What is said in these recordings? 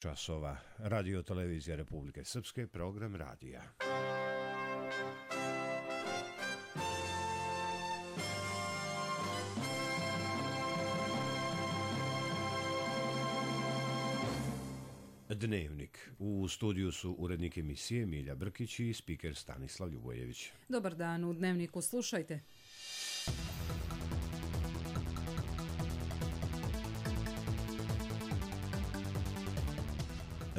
časova. Radio televizija Republike Srpske, program radija. Dnevnik. U studiju su urednik emisije Milja Brkić i spiker Stanislav Ljubojević. Dobar dan, u Dnevniku slušajte.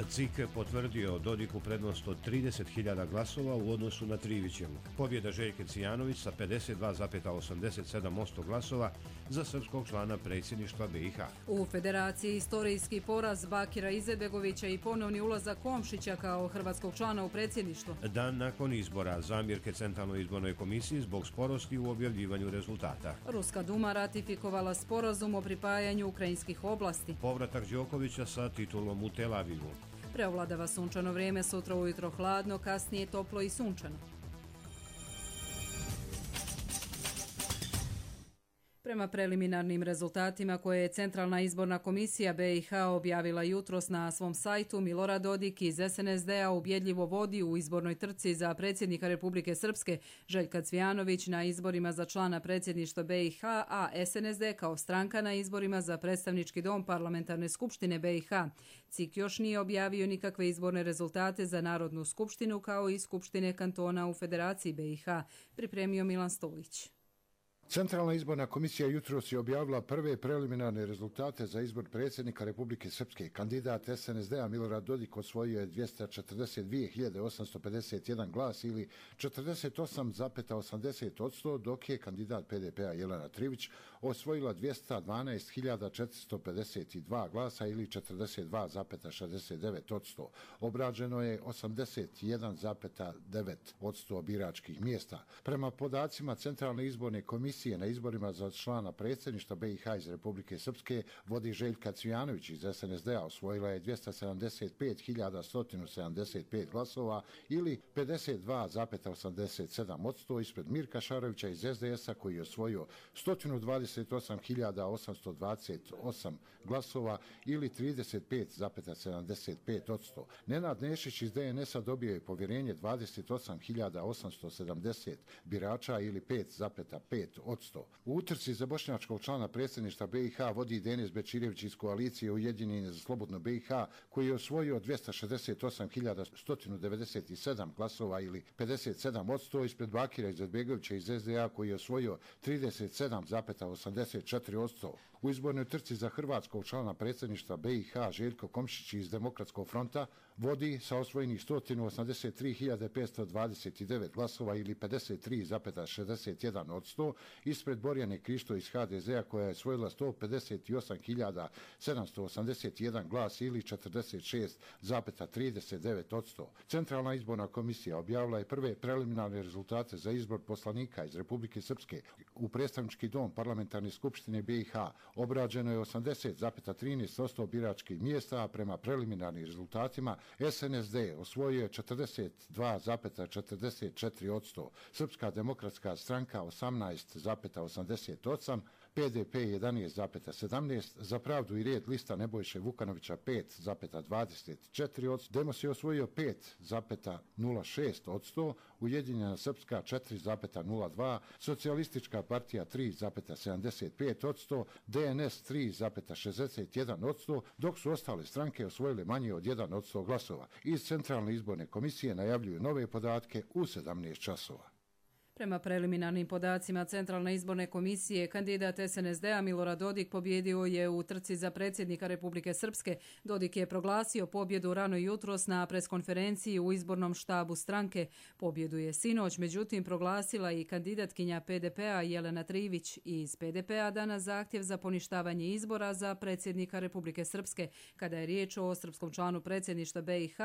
CIK potvrdio Dodiku prednost od 30.000 glasova u odnosu na Trivićevu. Pobjeda Željke Cvijanović sa 52,87% glasova za srpskog člana predsjedništva BiH. U Federaciji istorijski poraz Bakira Izetbegovića i ponovni ulazak Komšića kao hrvatskog člana u predsjedništvo. Dan nakon izbora zamjerke Centralnoj izbornoj komisiji zbog sporosti u objavljivanju rezultata. Ruska Duma ratifikovala sporazum o pripajanju ukrajinskih oblasti. Povratak Đokovića sa titulom u Tel Avivu. Preovladava sunčano vrijeme, sutra ujutro hladno, kasnije toplo i sunčano. Prema preliminarnim rezultatima koje je Centralna izborna komisija BiH objavila jutros na svom sajtu, Milorad Dodik iz SNSD-a ubjedljivo vodi u izbornoj trci za predsjednika Republike Srpske, Željka Cvijanović na izborima za člana predsjedništva BiH, a SNSD kao stranka na izborima za predstavnički dom Parlamentarne skupštine BiH. CIK još nije objavio nikakve izborne rezultate za Narodnu skupštinu kao i Skupštine kantona u Federaciji BiH, pripremio Milan Stolić. Centralna izborna komisija jutros je objavila prve preliminarne rezultate za izbor predsjednika Republike Srpske. Kandidat SNSD-a Milorad Dodik osvojio je 242.851 glas ili 48,80%, dok je kandidat PDP-a Jelena Trivić osvojila 212.452 glasa ili 42,69%. Obrađeno je 81,9% biračkih mjesta. Prema podacima Centralne izborne komisije na izborima za člana predsjedništva BiH iz Republike Srpske vodi Željka Cvijanović iz SNSD-a, osvojila je 275.175 glasova ili 52,87% ispred Mirka Šarovića iz SDS-a koji je osvojio 128.828 glasova ili 35,75%. Nenad Nešić iz DNS-a dobio je povjerenje 28.870 birača ili 5,5%. U utrci za bošnjačkog člana predsjedništva BiH vodi Denis Bečirević iz koalicije Ujedinjeni za slobodno BiH koji je osvojio 268.197 glasova ili 57% ispred Bakira Izetbegovića iz SDA koji je osvojio 37,84%. U izbornoj trci za hrvatskog člana predsjedništva BiH Željko Komšić iz Demokratskog fronta vodi sa osvojenih 183.529 glasova ili 53,61%, ispred Borjane Krišto iz HDZ-a koja je osvojila 158.781 glas ili 46,39%. Centralna izborna komisija objavila je prve preliminarne rezultate za izbor poslanika iz Republike Srpske u predstavnički dom Parlamentarne skupštine BiH. Obrađeno je 80,13% biračkih mjesta, a prema preliminarnim rezultatima SNSD osvojio je 42,44%, Srpska demokratska stranka 18,88%, PDP 11,17%, Za pravdu i red lista Nebojše Vukanovića 5,24%, Demos je osvojio 5,06%, Ujedinjena Srpska 4,02%, Socijalistička partija 3,75%, DNS 3,61%, dok su ostale stranke osvojile manje od 1% glasova. Iz Centralne izborne komisije najavljuju nove podatke u 17 časova. Prema preliminarnim podacima Centralne izborne komisije, kandidat SNSD-a Milorad Dodik pobjedio je u trci za predsjednika Republike Srpske. Dodik je proglasio pobjedu rano jutros na preskonferenciji u izbornom štabu stranke. Pobjedu je sinoć, međutim, proglasila i kandidatkinja PDP-a Jelena Trivić. Iz PDP-a dana zahtjev za poništavanje izbora za predsjednika Republike Srpske. Kada je riječ o srpskom članu predsjedništva BiH,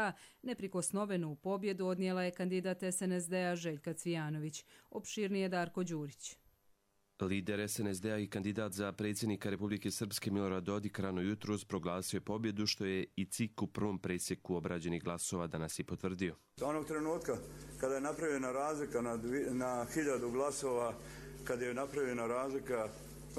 neprikosnovenu pobjedu odnijela je kandidat SNSD-a Željka Cvijanović. Opširnije Darko Đurić. Lider SNSD-a i kandidat za predsjednika Republike Srpske Milorad Dodik rano jutros proglasio je pobjedu, što je i CIK u prvom presjeku obrađenih glasova danas i potvrdio. Onog trenutka kada je napravljena razlika na 1000 glasova, kada je napravljena razlika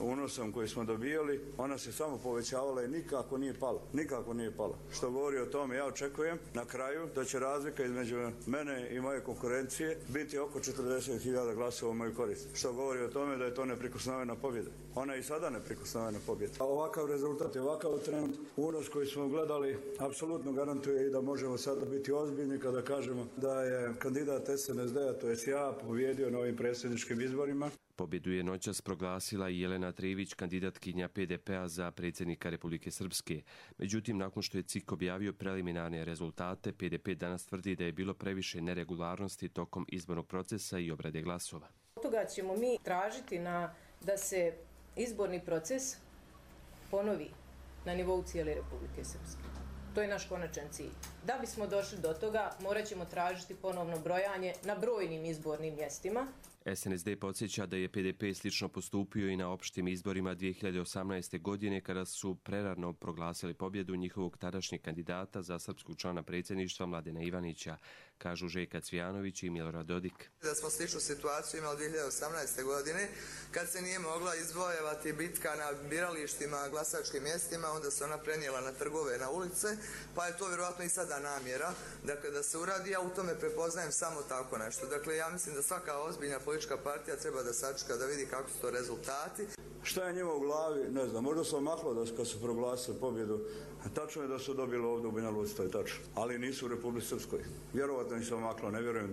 unosom koji smo dobijali, ona se samo povećavala i nikako nije pala. Nikako nije pala. Što govori o tome, ja očekujem na kraju da će razlika između mene i moje konkurencije biti oko 40.000 glasova u moju korist. Što govori o tome da je to neprikosnovena pobjeda. Ona je i sada neprikosnovena pobjeda. A ovakav rezultat i ovakav trend, unos koji smo gledali, apsolutno garantuje i da možemo sada biti ozbiljni kada kažemo da je kandidat SNSD-a, to jest ja, pobjedio na ovim predsjedničkim izborima. Pobjedu je noćas proglasila i Jelena Trivić, kandidatkinja PDP-a za predsjednika Republike Srpske. Međutim, nakon što je CIK objavio preliminarne rezultate, PDP danas tvrdi da je bilo previše neregularnosti tokom izbornog procesa i obrade glasova. Od toga ćemo mi tražiti da se izborni proces ponovi na nivou cijele Republike Srpske. To je naš konačan cilj. Da bismo došli do toga, morat ćemo tražiti ponovno brojanje na brojnim izbornim mjestima. SNSD podsjeća da je PDP slično postupio i na opštim izborima 2018. godine kada su prerano proglasili pobjedu njihovog tadašnjeg kandidata za srpskog člana predsjedništva Mladena Ivanića, kažu Željka Cvijanović i Milorad Dodik. Da smo sličnu situaciju imali 2018. godine kad se nije mogla izvojevati bitka na biralištima, glasačkim mjestima, onda se ona prenijela na trgove, na ulice, pa je to vjerojatno i sada namjera, dakle da se uradi. Ja u tome prepoznajem samo tako nešto. Dakle, ja mislim da svaka ozbiljna politička partija treba da sačeka da vidi kako su to rezultati. Šta je njima u glavi, ne znam, možda su omaklo da kad su proglasili pobjedu. Tačno je da su dobili ovdje u Banja Luci, to je tačno, ali nisu u Republici Srpskoj. Vjerovatno im se omaklo, ne vjerujem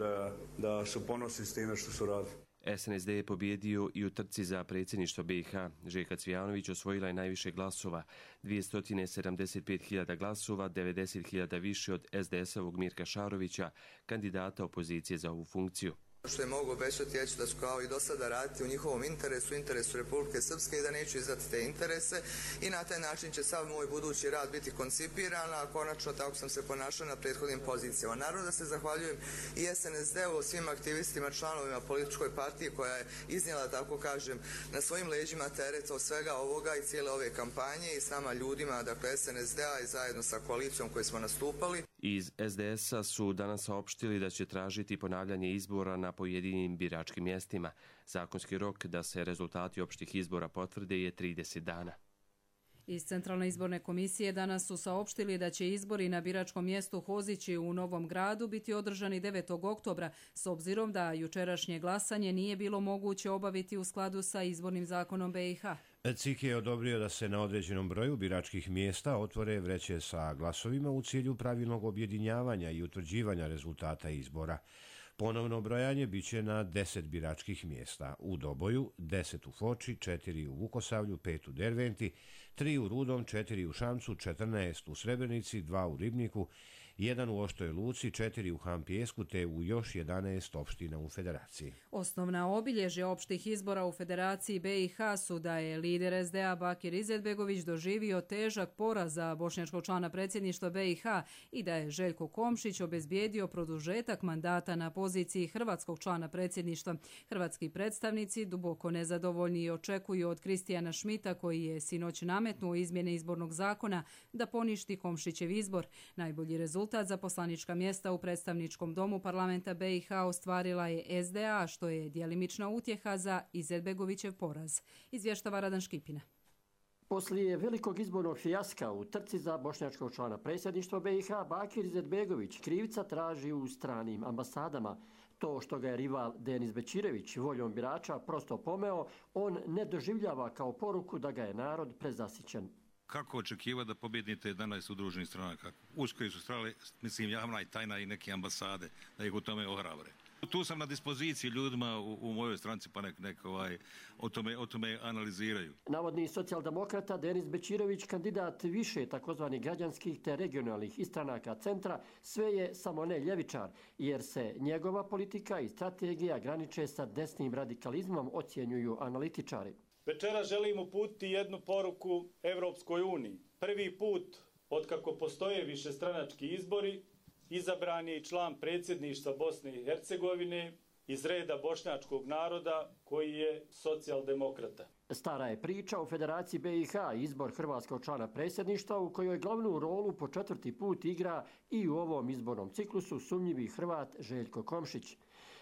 da su ponosni s time što su radili. SNSD je pobjedio i u trci za predsjedništvo BiH. Željka Cvijanović osvojila je najviše glasova, 275.000 glasova, 90.000 više od SDS-ovog Mirka Šarovića, kandidata opozicije za ovu funkciju. Što je mogu obećati, ja ću da ću kao i do sada raditi u njihovom interesu Republike Srpske i da neću izdati te interese i na taj način će sav moj budući rad biti koncipiran, a konačno tako sam se ponašao na prethodnim pozicijama. Naravno da se zahvaljujem i SNSD-u, svim aktivistima, članovima političkoj partije koja je iznijela, tako kažem, na svojim leđima teret od svega ovoga i cijele ove kampanje i s nama ljudima, dakle SNSD-a i zajedno sa koalicijom koje smo nastupali. Iz SDS-a su danas saopštili da će tražiti ponavljanje izbora na pojedinim biračkim mjestima. Zakonski rok da se rezultati opštih izbora potvrde je 30 dana. Iz Centralne izborne komisije danas su saopštili da će izbori na biračkom mjestu Hozići u Novom Gradu biti održani 9. oktobra, s obzirom da jučerašnje glasanje nije bilo moguće obaviti u skladu sa izbornim zakonom BiH. CIK je odobrio da se na određenom broju biračkih mjesta otvore vreće sa glasovima u cilju pravilnog objedinjavanja i utvrđivanja rezultata izbora. Ponovno brojanje biće na 10 biračkih mjesta. U Doboju, 10 u Foči, 4 u Vukosavlju, 5 u Derventi, 3 u Rudom, 4 u Šamcu, 14 u Srebrenici, 2 u Ribniku, 1 u Oštoj Luci, 4 u Hampijesku te u još 11 opština u Federaciji. Osnovna obilježja opštih izbora u Federaciji BiH su da je lider SDA Bakir Izetbegović doživio težak poraz za bošnjačkog člana predsjedništva BiH i da je Željko Komšić obezbijedio produžetak mandata na poziciji hrvatskog člana predsjedništva. Hrvatski predstavnici duboko nezadovoljni očekuju od Kristijana Šmita, koji je sinoć nametnuo izmjene izbornog zakona, da poništi Komšićev izbor. Najbolji rezultat za poslanička mjesta u predstavničkom domu parlamenta BiH ostvarila je SDA, što je djelimična utjeha za Izetbegovićev poraz. Izvještava Radan Škipina. Poslije velikog izbornog fijaska u trci za bošnjačkog člana predsjedništva BiH, Bakir Izetbegović krivca traži u stranim ambasadama. To što ga je rival Denis Bećirević voljom birača prosto pomeo, on ne doživljava kao poruku da ga je narod prezasićen. Kako očekivati da pobjednite 11 udruženih stranaka? Uz koji su strale, mislim, javna i tajna i neke ambasade, da ih u tome ohrabre. Tu sam na dispoziciji ljudima u mojoj stranci, pa nek o tome analiziraju. Navodni socijaldemokrata Denis Bećirević, kandidat više takozvanih građanskih te regionalnih istranaka centra, sve je samo ne ljevičar, jer se njegova politika i strategija graniče sa desnim radikalizmom, ocjenjuju analitičari. Večera želim uputiti jednu poruku Evropskoj uniji. Prvi put otkako postoje višestranački izbori, izabran je i član predsjedništva Bosne i Hercegovine iz reda bošnjačkog naroda koji je socijaldemokrata. Stara je priča u Federaciji BiH izbor hrvatskog člana predsjedništva u kojoj glavnu rolu po 4. put igra i u ovom izbornom ciklusu sumnjivi Hrvat Željko Komšić.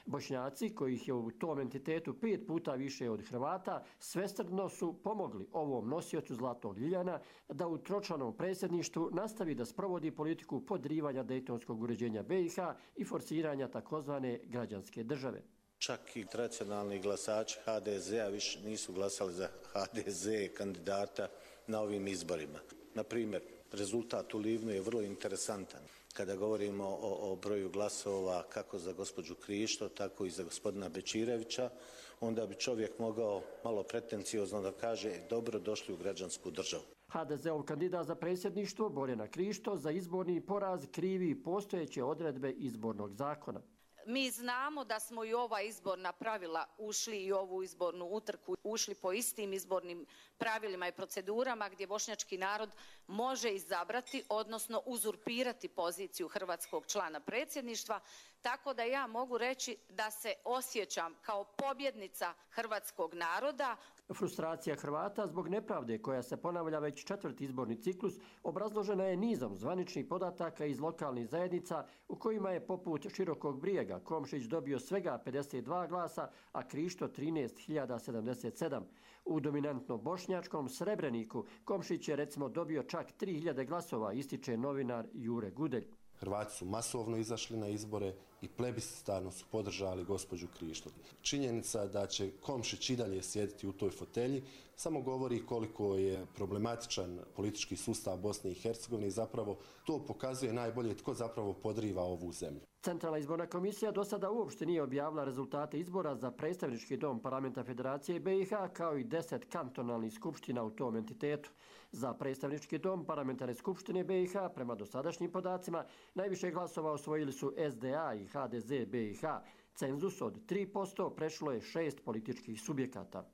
Bošnjaci, kojih je u tom entitetu 5 puta više od Hrvata, svesrdno su pomogli ovom nosiocu Zlatnog ljiljana da u tročlanom predsjedništvu nastavi da sprovodi politiku podrivanja dejtonskog uređenja BiH i forsiranja takozvane građanske države. Čak i tradicionalni glasači HDZ-a više nisu glasali za HDZ kandidata na ovim izborima. Na primjer, rezultat u Livnu je vrlo interesantan. Kada govorimo o broju glasova kako za gospođu Krišto, tako i za gospodina Bečirevića, onda bi čovjek mogao malo pretenciozno da kaže dobro došli u građansku državu. HDZ-ov kandidat za predsjedništvo Borjana Krišto za izborni poraz krivi postojeće odredbe izbornog zakona. Mi znamo da smo i ova izborna pravila ušli i ovu izbornu utrku ušli po istim izbornim pravilima i procedurama gdje bošnjački narod može izabrati, odnosno uzurpirati poziciju hrvatskog člana predsjedništva, tako da ja mogu reći da se osjećam kao pobjednica hrvatskog naroda. Frustracija Hrvata zbog nepravde koja se ponavlja već 4. izborni ciklus obrazložena je nizom zvaničnih podataka iz lokalnih zajednica u kojima je poput Širokog Brijega Komšić dobio svega 52 glasa, a Krišto 13.077. U dominantno bošnjačkom Srebreniku Komšić je recimo dobio čak 3.000 glasova, ističe novinar Jure Gudelj. Hrvati su masovno izašli na izbore i plebiscitarno su podržali gospođu Krišto. Činjenica da će Komšić i dalje sjediti u toj fotelji samo govori koliko je problematičan politički sustav Bosne i Hercegovine i zapravo to pokazuje najbolje tko zapravo podriva ovu zemlju. Centralna izborna komisija do sada uopšte nije objavila rezultate izbora za predstavnički dom Parlamenta Federacije BiH kao i 10 kantonalnih skupština u tom entitetu. Za predstavnički dom Parlamentarne skupštine BiH prema dosadašnjim podacima najviše glasova osvojili su SDA i HDZ BiH. Cenzus od 3% prešlo je 6 političkih subjekata.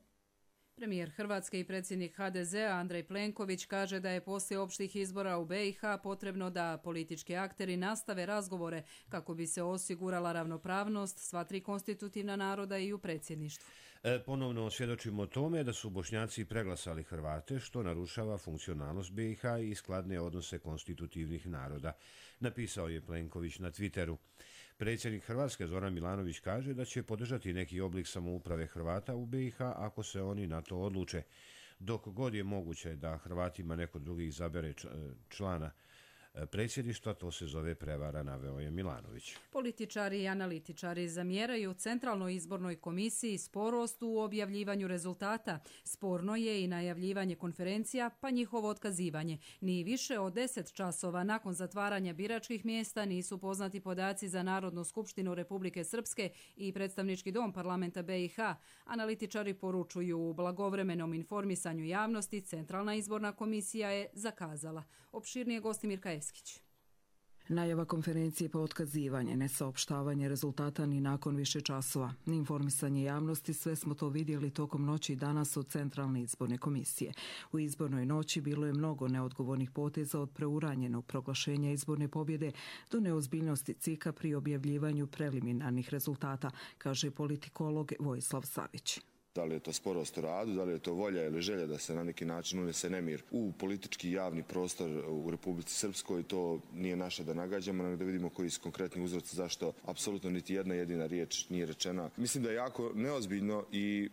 Premijer Hrvatske i predsjednik HDZ-a Andrej Plenković kaže da je poslije opštih izbora u BiH potrebno da politički akteri nastave razgovore kako bi se osigurala ravnopravnost sva 3 konstitutivna naroda i u predsjedništvu. Ponovno svjedočimo tome da su Bošnjaci preglasali Hrvate, što narušava funkcionalnost BiH i skladne odnose konstitutivnih naroda, napisao je Plenković na Twitteru. Predsjednik Hrvatske Zoran Milanović kaže da će podržati neki oblik samouprave Hrvata u BiH ako se oni na to odluče. Dok god je moguće da Hrvatima neko drugi izabere člana predsjedništva, to se zove prevara, naveo je Milanović. Političari i analitičari zamjeraju Centralnoj izbornoj komisiji sporost u objavljivanju rezultata. Sporno je i najavljivanje konferencija, pa njihovo otkazivanje. Ni više od 10 časova nakon zatvaranja biračkih mjesta nisu poznati podaci za Narodnu skupštinu Republike Srpske i predstavnički dom Parlamenta BiH. Analitičari poručuju u blagovremenom informisanju javnosti Centralna izborna komisija je zakazala. Opširnije Gostimir Kaevskić. Najava konferencije pa otkazivanje, nesaopštavanje rezultata ni nakon više časova, ni informisanje javnosti, sve smo to vidjeli tokom noći i danas od Centralne izborne komisije. U izbornoj noći bilo je mnogo neodgovornih poteza od preuranjenog proglašenja izborne pobjede do neozbiljnosti CIK-a pri objavljivanju preliminarnih rezultata, kaže politikolog Vojislav Savić. Da li je to sporost u radu, da li je to volja ili želja da se na neki način unese nemir u politički javni prostor u Republici Srpskoj, to nije naše da nagađamo, nego da vidimo koji su konkretni uzroci zašto apsolutno niti jedna jedina riječ nije rečena. Mislim da je jako neozbiljno i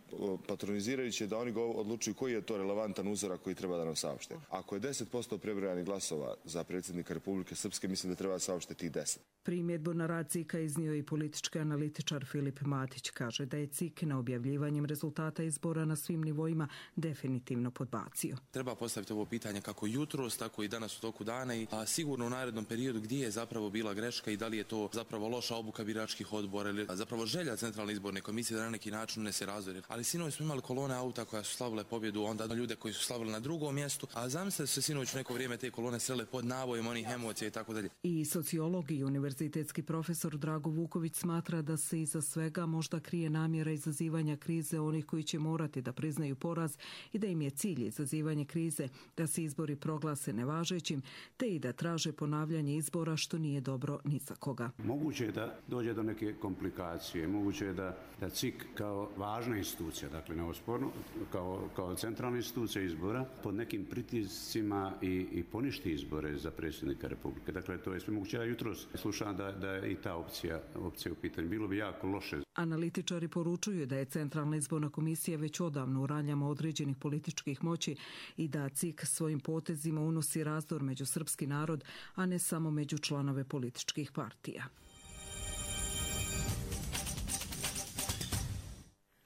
patronizirajuće da oni odlučuju koji je to relevantan uzorak koji treba da nam saopšte. Ako je 10% prebrojanih glasova za predsjednika Republike Srpske, mislim da treba saopštiti 10. Primjedbu na rad CIK-a iznio i politički analitičar Filip Matić. Kaže da je CIK na objavljivanjem rezultata izbora na svim nivoima definitivno podbacio. Treba postaviti ovo pitanje kako jutros, tako i danas u toku dana, a sigurno u narednom periodu gdje je zapravo bila greška i da li je to zapravo loša obuka biračkih odbora ili zapravo želja Centralne izborne komisije da na neki način ne se razvori. Ali sinoć smo imali kolone auta koja su slavile pobjedu, onda ljude koji su slavili na drugom mjestu, a zamislite se sinoć neko vrijeme te kolone srele pod navojem onih emocija i tako dalje. I sociolog i univerzitetski profesor Drago Vuković smatra da se iza svega možda krije namjera izazivanja krize onih koji će morati da priznaju poraz i da im je cilj izazivanje krize, da se izbori proglase nevažećim, te i da traže ponavljanje izbora, što nije dobro ni za koga. Moguće je da dođe do neke komplikacije, moguće je da CIK kao važna institucija, dakle neosporno, kao centralna institucija izbora, pod nekim pritiscima i poništi izbore za predsjednika Republike. Dakle, to je sve moguće. Ja jutros slušam da je i ta opcija u pitanju. Bilo bi jako loše. Analitičari poručuju da je Centralna izborna komisija već odavno u raljama određenih političkih moći i da CIK svojim potezima unosi razdor među srpski narod, a ne samo među članove političkih partija.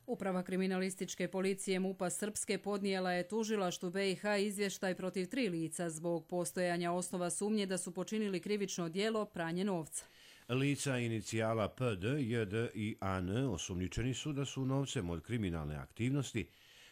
Uprava kriminalističke policije MUP-a Srpske podnijela je tužilaštvu BiH izvještaj protiv 3 lica zbog postojanja osnova sumnje da su počinili krivično djelo pranje novca. Lica inicijala PD, JD i AN osumnjičeni su da su novcem od kriminalne aktivnosti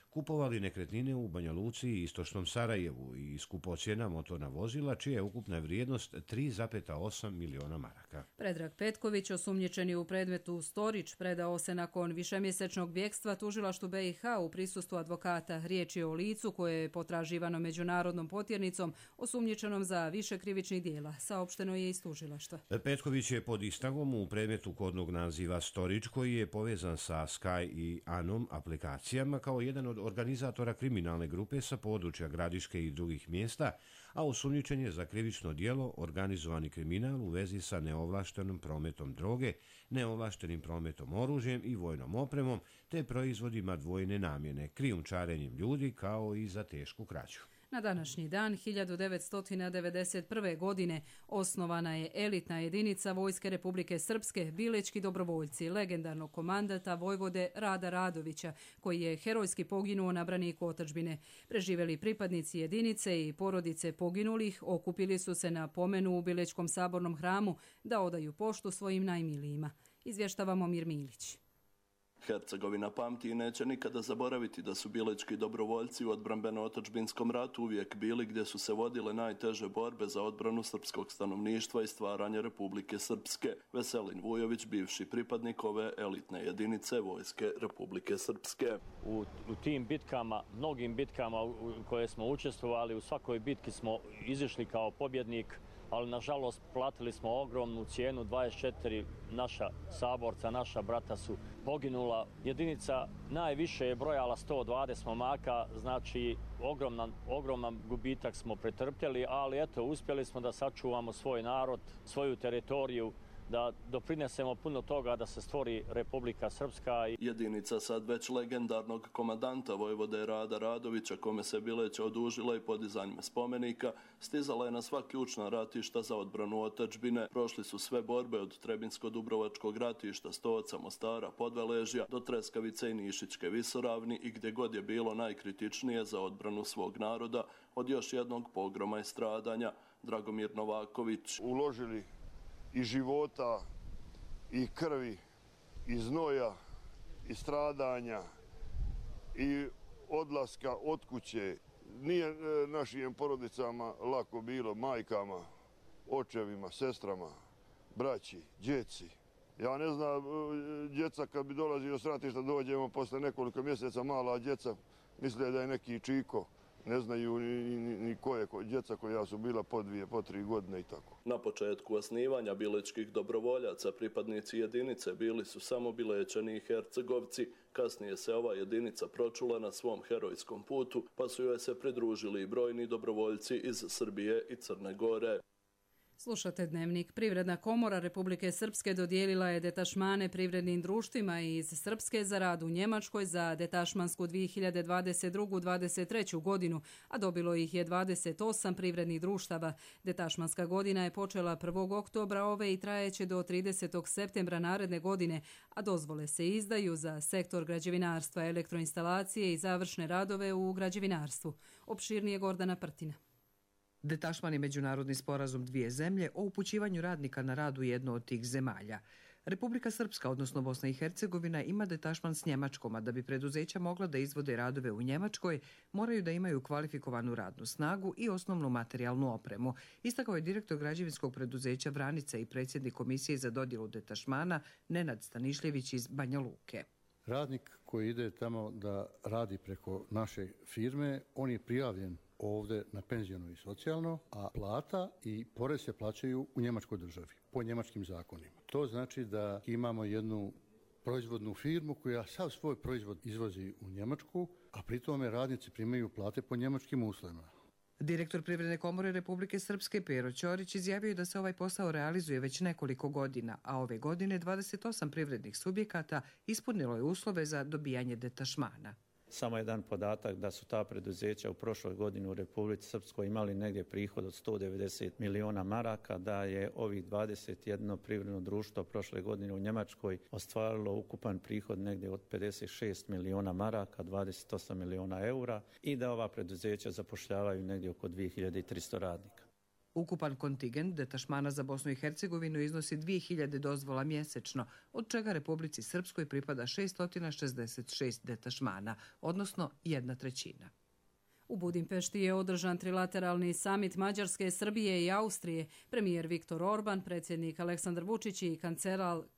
kupovali nekretnine u Banja Luci i istočnom Sarajevu i skupocjena motorna vozila, čija je ukupna vrijednost 3,8 miliona maraka. Predrag Petković, osumnjičeni u predmetu Storić, predao se nakon višemjesečnog bjekstva tužilaštvu BiH u prisustvu advokata. Riječ je o licu koje je potraživano međunarodnom potjernicom osumnjičenom za više krivičnih dijela, saopšteno je iz tužilaštva. Petković je pod istragom u predmetu kodnog naziva Storić, koji je povezan sa Sky i Anom aplikacijama kao jedan od organizatora kriminalne grupe sa područja Gradiške i drugih mjesta, a osumnjičen je za krivično djelo organizovani kriminal u vezi sa neovlaštenim prometom droge, neovlaštenim prometom oružjem i vojnom opremom, te proizvodima dvojne namjene, krijumčarenjem ljudi kao i za tešku krađu. Na današnji dan 1991. godine osnovana je elitna jedinica Vojske Republike Srpske, Bilečki dobrovoljci, legendarnog komandata vojvode Rada Radovića, koji je herojski poginuo na braniku otadžbine. Preživjeli pripadnici jedinice i porodice poginulih okupili su se na pomenu u Bilečkom sabornom hramu da odaju poštu svojim najmilijima. Izvještava Momir Milić. Hercegovina pamti i neće nikada zaboraviti da su bilečki dobrovoljci u odbrambeno-otadžbinskom ratu uvijek bili gdje su se vodile najteže borbe za odbranu srpskog stanovništva i stvaranje Republike Srpske. Veselin Vujović, bivši pripadnik ove elitne jedinice Vojske Republike Srpske. U tim bitkama, mnogim bitkama u koje smo učestvovali, u svakoj bitki smo izišli kao pobjednik, ali nažalost platili smo ogromnu cijenu, 24 naša saborca, naša brata su poginula. Jedinica najviše je brojala 120 momaka, znači ogroman gubitak smo pretrpjeli, ali eto, uspjeli smo da sačuvamo svoj narod, svoju teritoriju, da doprinesemo puno toga da se stvori Republika Srpska. Jedinica sad već legendarnog komandanta vojvode Rada Radovića, kome se Bileć odužila i podizanjem spomenika, stizala je na sva ključna ratišta za odbranu otadžbine. Prošli su sve borbe od Trebinsko-Dubrovačkog ratišta, Stoca, Mostara, Podveležja do Treskavice i Nišićke visoravni i gdje god je bilo najkritičnije za odbranu svog naroda od još jednog pogroma i stradanja. Dragomir Novaković. Uložili i života, i krvi, i znoja, i stradanja, i odlaska od kuće. Nije našim porodicama lako bilo, majkama, očevima, sestrama, braći, djeci. Ja ne znam, djeca kad bi dolazio s ratišta, dođemo posle nekoliko mjeseca, mala djeca misle da je neki čiko. Ne znaju ni koje djeca koja su bila po 2, po 3 godine i tako. Na početku osnivanja bilečkih dobrovoljaca pripadnici jedinice bili su samo Bilečani i Hercegovci. Kasnije se ova jedinica pročula na svom herojskom putu, pa su joj se pridružili i brojni dobrovoljci iz Srbije i Crne Gore. Slušate Dnevnik. Privredna komora Republike Srpske dodijelila je detašmane privrednim društvima iz Srpske za rad u Njemačkoj za detašmansku 2022-2023 godinu, a dobilo ih je 28 privrednih društava. Detašmanska godina je počela 1. oktobra ove i trajeće do 30. septembra naredne godine, a dozvole se izdaju za sektor građevinarstva, elektroinstalacije i završne radove u građevinarstvu. Opširnije Gordana Prtina. Detašman je međunarodni sporazum dvije zemlje o upućivanju radnika na rad u jednu od tih zemalja. Republika Srpska, odnosno Bosna i Hercegovina, ima detašman s Njemačkom, a da bi preduzeća mogla da izvode radove u Njemačkoj, moraju da imaju kvalifikovanu radnu snagu i osnovnu materijalnu opremu. Istakao je direktor građevinskog preduzeća Vranica i predsjednik komisije za dodjelu detašmana Nenad Stanišljević iz Banja Luke. Radnik koji ide tamo da radi preko naše firme, on je prijavljen ovdje na penzijno i socijalno, a plata i porez se plaćaju u njemačkoj državi, po njemačkim zakonima. To znači da imamo jednu proizvodnu firmu koja sav svoj proizvod izvozi u Njemačku, a pri tome radnici primaju plate po njemačkim uslovima. Direktor Privredne komore Republike Srpske Pero Ćorić izjavio je da se ovaj posao realizuje već nekoliko godina, a ove godine 28 privrednih subjekata ispunilo je uslove za dobijanje detašmana. Samo jedan podatak da su ta preduzeća u prošloj godini u Republici Srpskoj imali negdje prihod od 190 miliona maraka, da je ovih 21 privredno društvo prošle godine u Njemačkoj ostvarilo ukupan prihod negdje od 56 miliona maraka, 28 miliona eura i da ova preduzeća zapošljavaju negdje oko 2300 radnika. Ukupan kontingent detašmana za Bosnu i Hercegovinu iznosi 2000 dozvola mjesečno, od čega Republici Srpskoj pripada 666 detašmana, odnosno 1/3. U Budimpešti je održan trilateralni samit Mađarske, Srbije i Austrije. Premijer Viktor Orban, predsjednik Aleksandar Vučić i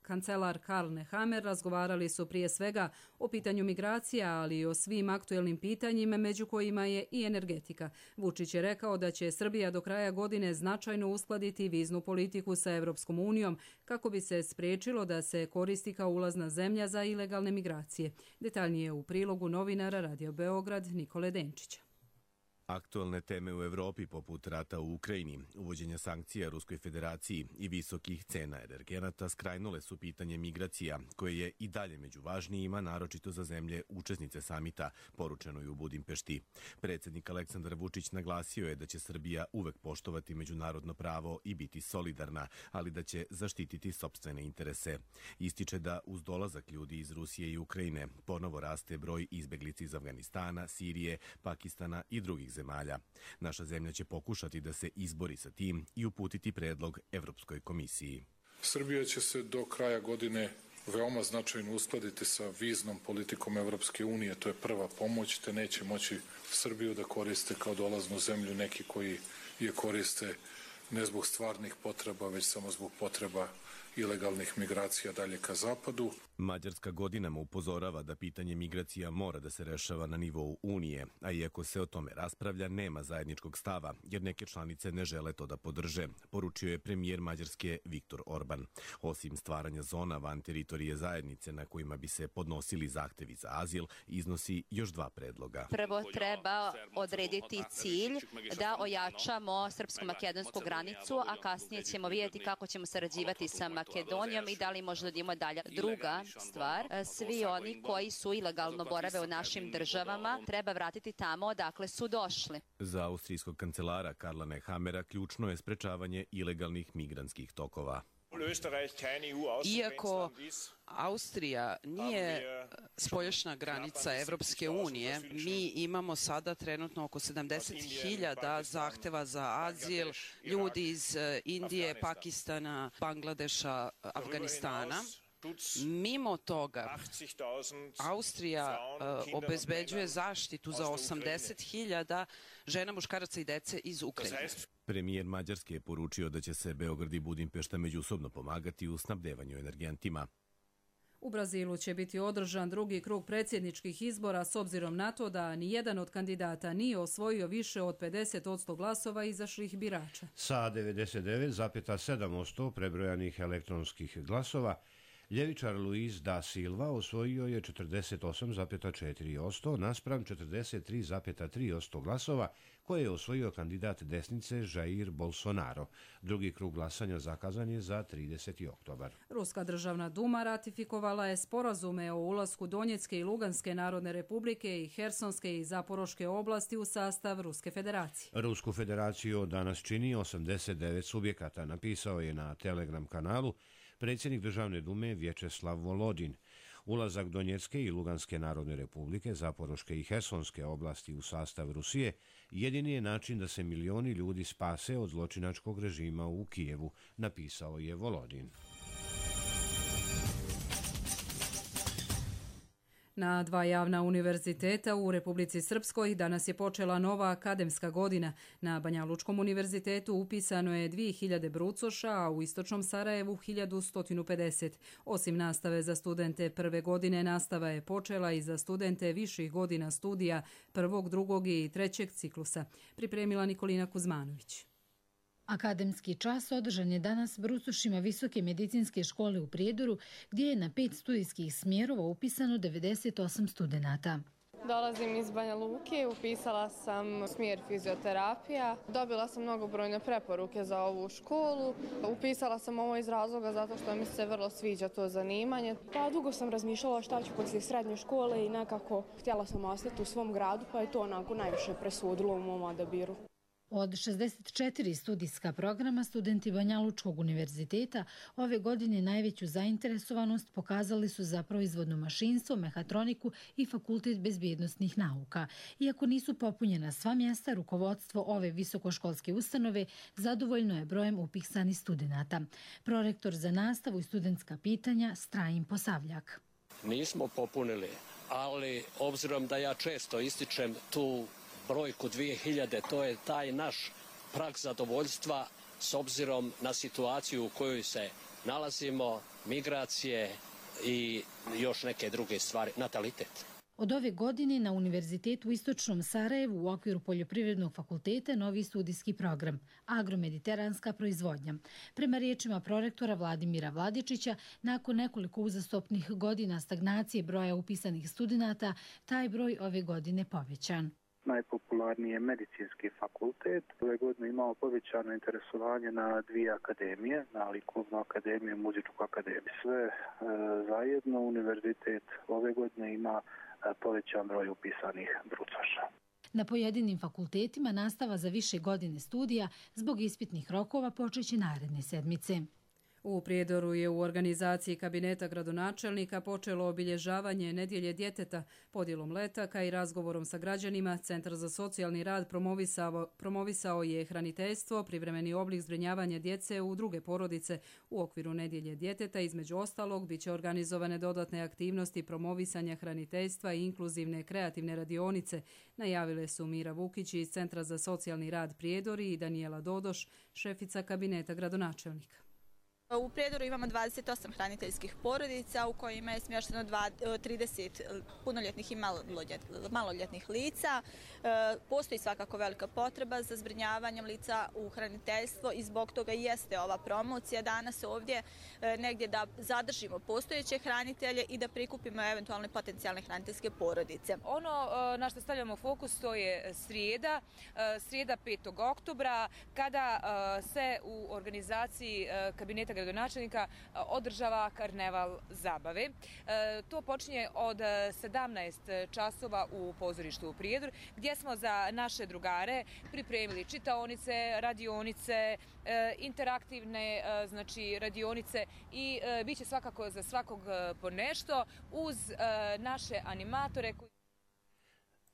kancelar Karl Nehammer razgovarali su prije svega o pitanju migracija, ali i o svim aktuelnim pitanjima, među kojima je i energetika. Vučić je rekao da će Srbija do kraja godine značajno uskladiti viznu politiku sa Evropskom unijom kako bi se spriječilo da se koristi kao ulazna zemlja za ilegalne migracije. Detaljnije u prilogu novinara Radio Beograd Nikole Denčića. Aktualne teme u Evropi poput rata u Ukrajini, uvođenja sankcija Ruskoj federaciji i visokih cena energenata skrajnule su pitanje migracija, koje je i dalje među važnijima, naročito za zemlje učesnice samita, poručeno je u Budimpešti. Predsjednik Aleksandar Vučić naglasio je da će Srbija uvek poštovati međunarodno pravo i biti solidarna, ali da će zaštititi sopstvene interese. Ističe da uz dolazak ljudi iz Rusije i Ukrajine ponovo raste broj izbeglica iz Afganistana, Sirije, Pakistana i drugih zemalja. Naša zemlja će pokušati da se izbori sa tim i uputiti predlog Evropskoj komisiji. Srbija će se do kraja godine veoma značajno uskladiti sa viznom politikom Evropske unije. To je prva pomoć, te neće moći Srbiju da koriste kao dolaznu zemlju neki koji je koriste ne zbog stvarnih potreba, već samo zbog potreba ilegalnih migracija dalje ka zapadu. Mađarska godinama upozorava da pitanje migracija mora da se rešava na nivou Unije, a iako se o tome raspravlja, nema zajedničkog stava, jer neke članice ne žele to da podrže, poručio je premijer Mađarske Viktor Orban. Osim stvaranja zona van teritorije zajednice na kojima bi se podnosili zahtevi za azil, iznosi još dva predloga. Prvo treba odrediti cilj da ojačamo srpsko-makedonsku granicu, a kasnije ćemo vidjeti kako ćemo sarađivati sa Makedonijom i da li možda da imamo dalje. Druga stvar, svi oni koji su ilegalno borave u našim državama treba vratiti tamo odakle su došli. Za austrijskog kancelara Karla Nehammera ključno je sprečavanje ilegalnih migrantskih tokova. Iako Austrija nije spoljašnja granica Evropske unije, mi imamo sada trenutno oko 70.000 zahteva za azil, ljudi iz Indije, Pakistana, Bangladeša, Afganistana. Mimo toga, Austrija obezbeđuje zaštitu za 80.000 žena, muškaraca i dece iz Ukrajine. Premijer Mađarske je poručio da će se Beograd i Budimpešta međusobno pomagati u snabdevanju energentima. U Brazilu će biti održan drugi krug predsjedničkih izbora s obzirom na to da nijedan od kandidata nije osvojio više od 50% glasova izašlih birača. Sa 99,7% prebrojanih elektronskih glasova, ljevičar Luis da Silva osvojio je 48,4% naspram 43,3% glasova koje je osvojio kandidat desnice Jair Bolsonaro. Drugi krug glasanja zakazan je za 30. oktobar. Ruska državna duma ratifikovala je sporazume o ulasku Donjecke i Luganske narodne republike i Hersonske i Zaporoške oblasti u sastav Ruske federacije. Rusku federaciju danas čini 89 subjekata, napisao je na Telegram kanalu predsjednik državne dume Vječeslav Volodin. Ulazak Donjecke i Luganske narodne republike, Zaporoške i Hersonske oblasti u sastav Rusije jedini je način da se milioni ljudi spase od zločinačkog režima u Kijevu, napisao je Volodin. Na dva javna univerziteta u Republici Srpskoj danas je počela nova akademska godina. Na Banja Lučkom univerzitetu upisano je 2000 brucoša, a u Istočnom Sarajevu 1150. Osim nastave za studente prve godine, nastava je počela i za studente viših godina studija prvog, drugog i trećeg ciklusa. Pripremila Nikolina Kuzmanović. Akademski čas održan je danas brucošima Visoke medicinske škole u Prijedoru, gdje je na 5 studijskih smjerova upisano 98 studenata. Dolazim iz Banja Luke, upisala sam smjer fizioterapija. Dobila sam mnogobrojne preporuke za ovu školu. Upisala sam ovo iz razloga zato što mi se vrlo sviđa to zanimanje. Pa dugo sam razmišljala šta ću poslije srednje škole i nekako htjela sam ostati u svom gradu, pa je to onako najviše presudilo u mom odabiru. Od 64 studijska programa, studenti Banja Lučkog univerziteta ove godine najveću zainteresovanost pokazali su za proizvodno mašinstvo, mehatroniku i fakultet bezbjednosnih nauka. Iako nisu popunjena sva mjesta, rukovodstvo ove visokoškolske ustanove zadovoljno je brojem upisanih studenata. Prorektor za nastavu i studentska pitanja Strajin Posavljak. Nismo popunili, ali obzirom da ja često ističem tu brojku 2000, to je taj naš prag zadovoljstva s obzirom na situaciju u kojoj se nalazimo, migracije i još neke druge stvari, natalitet. Od ove godine na Univerzitetu u Istočnom Sarajevu u okviru Poljoprivrednog fakulteta novi studijski program agromediteranska proizvodnja. Prema riječima prorektora Vladimira Vladičića, nakon nekoliko uzastopnih godina stagnacije broja upisanih studenata, taj broj ove godine povećan. Najpopularniji je medicinski fakultet. Ove godine imamo povećano interesovanje na dvije akademije, na likovnu akademiju i muzičku akademiju. Sve zajedno univerzitet ove godine ima povećan broj upisanih brucoša. Na pojedinim fakultetima nastava za više godine studija zbog ispitnih rokova počeće naredne sedmice. U Prijedoru je u organizaciji kabineta gradonačelnika počelo obilježavanje Nedjelje djeteta. Podjelom letaka i razgovorom sa građanima, Centar za socijalni rad promovisao je hraniteljstvo, privremeni oblik zbrinjavanja djece u druge porodice. U okviru Nedjelje djeteta, između ostalog, bit će organizovane dodatne aktivnosti promovisanja hraniteljstva i inkluzivne kreativne radionice. Najavile su Mira Vukić iz Centra za socijalni rad Prijedori i Danijela Dodoš, šefica kabineta gradonačelnika. U Prijedoru imamo 28 hraniteljskih porodica u kojima je smješteno 30 punoljetnih i maloljetnih lica. Postoji svakako velika potreba za zbrinjavanjem lica u hraniteljstvo i zbog toga jeste ova promocija danas ovdje negdje da zadržimo postojeće hranitelje i da prikupimo eventualne potencijalne hraniteljske porodice. Ono na što stavljamo fokus to je srijeda 5. oktobra kada se u organizaciji kabineta gradonačelnika održava karneval zabave. To počinje od 17 časova u pozorištu u Prijedor, gdje smo za naše drugare pripremili čitaonice, radionice, interaktivne radionice i bit će svakako za svakog po nešto uz naše animatore.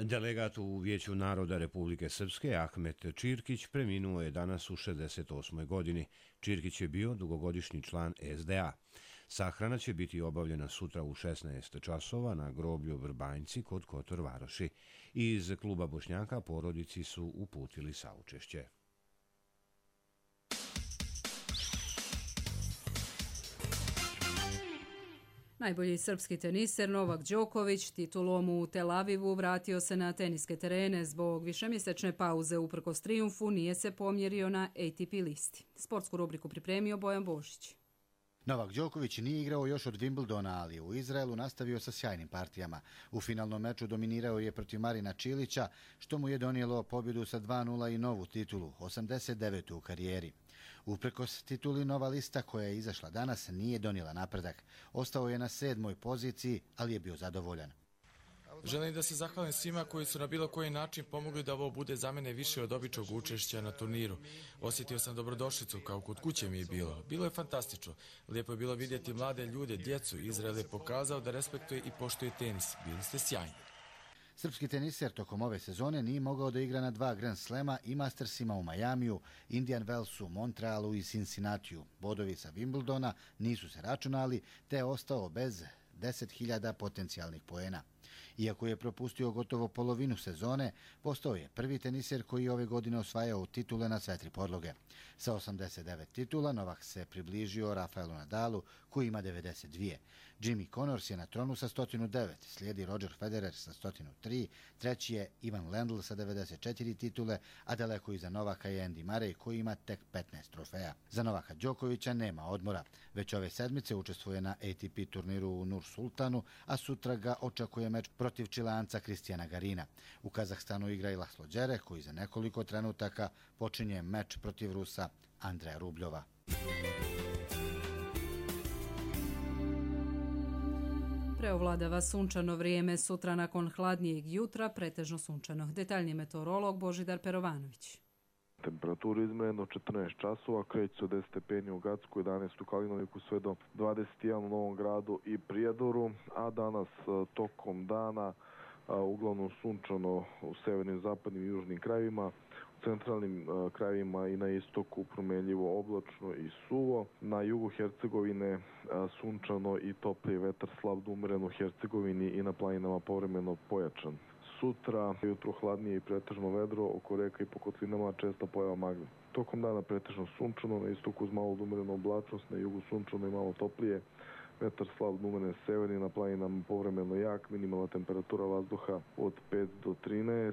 Delegat u Vijeću naroda Republike Srpske Ahmet Čirkić preminuo je danas u 68. godini. Čirkić je bio dugogodišnji član SDA. Sahrana će biti obavljena sutra u 16 časova na groblju Vrbanjci kod Kotor Varoši. Iz kluba Bošnjaka porodici su uputili saučešće. Najbolji srpski teniser Novak Đoković titulom u Tel Avivu vratio se na teniske terene. Zbog višemjesečne pauze uprkos trijumfu nije se pomjerio na ATP listi. Sportsku rubriku pripremio Bojan Božić. Novak Đoković nije igrao još od Wimbledona, ali u Izraelu nastavio sa sjajnim partijama. U finalnom meču dominirao je protiv Marina Čilića, što mu je donijelo pobjedu sa 2:0 i novu titulu, 89. u karijeri. Uprkos tituli, nova lista koja je izašla danas nije donijela napredak. Ostao je na 7. poziciji, ali je bio zadovoljan. Želim da se zahvalim svima koji su na bilo koji način pomogli da ovo bude za mene više od običnog učešća na turniru. Osjetio sam dobrodošlicu kao kod kuće mi je bilo. Bilo je fantastično. Lijepo je bilo vidjeti mlade ljude, djecu. Izrael je pokazao da respektuje i poštuje tenis. Bili ste sjajni. Srpski teniser tokom ove sezone nije mogao da igra na 2 Grand Slema i Mastersima u Majamiju, Indian Wellsu, Montrealu i Cincinnatiju. Bodovi sa Wimbledona nisu se računali, te je ostao bez 10.000 potencijalnih poena. Iako je propustio gotovo polovinu sezone, postao je prvi teniser koji je ove godine osvajao titule na sve 3 podloge. Sa 89 titula Novak se približio Rafaelu Nadalu koji ima 92. Jimmy Connors je na tronu sa 109, slijedi Roger Federer sa 103, treći je Ivan Lendl sa 94 titule, a daleko iza Novaka je Andy Murray koji ima tek 15 trofeja. Za Novaka Đokovića nema odmora. Već ove sedmice učestvuje na ATP turniru u Nur Sultanu, a sutra ga očekuje meč protiv protiv Čilanca Kristijana Garina. U Kazahstanu igra i Laslo Đere, koji za nekoliko trenutaka počinje meč protiv Rusa Andreja Rubljova. Preovladava sunčano vrijeme, sutra nakon hladnijeg jutra pretežno sunčano. Detaljni meteorolog Božidar Perovanović. Temperaturu izmjereno 14 časova, kreće se od 10 stepeni u Gacku, 11 u Kalinoviku, sve do 21 u Novom Gradu i Prijedoru, a danas tokom dana uglavnom sunčano u severnim, zapadnim i južnim krajevima, u centralnim krajevima i na istoku promenljivo oblačno i suvo. Na jugu Hercegovine sunčano i topliji vetar, slab do umeren u Hercegovini i na planinama povremeno pojačan. Sutra jutro hladnije i pretežno vedro, oko reka i po kotlinama česta pojava magle. Tokom dana pretežno sunčano, na istoku uz malo umerenu oblačnost, na jugu sunčano i malo toplije. Vetar slab do umeren severni, na planinama povremeno jak, minimalna temperatura vazduha od 5 do 13,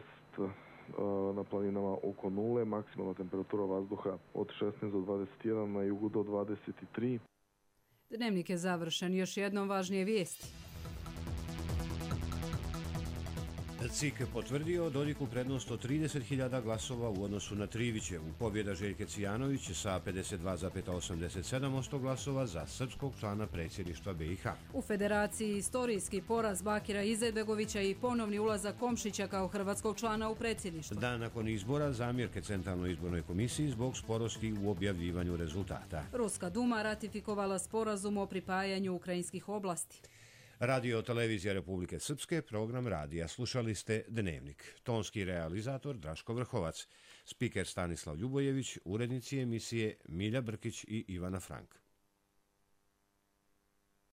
na planinama oko 0, maksimalna temperatura vazduha od 16 do 21, na jugu do 23. Dnevnik je završen, još jednom važnije vijesti. CIK potvrdio Dodiku prednost od 30.000 glasova u odnosu na Trivićevu. Pobjeda Željke Cijanović sa 52,87% glasova za srpskog člana predsjedništva BiH. U Federaciji istorijski poraz Bakira Izetbegovića i ponovni ulazak Komšića kao hrvatskog člana u predsjedništvo. Dan nakon izbora zamjerke Centralnoj izbornoj komisiji zbog sporosti u objavljivanju rezultata. Ruska Duma ratifikovala sporazum o pripajanju ukrajinskih oblasti. Radio televizija Republike Srpske, program radija. Slušali ste Dnevnik. Tonski realizator Draško Vrhovac, spiker Stanislav Ljubojević, urednici emisije Milja Brkić i Ivana Frank.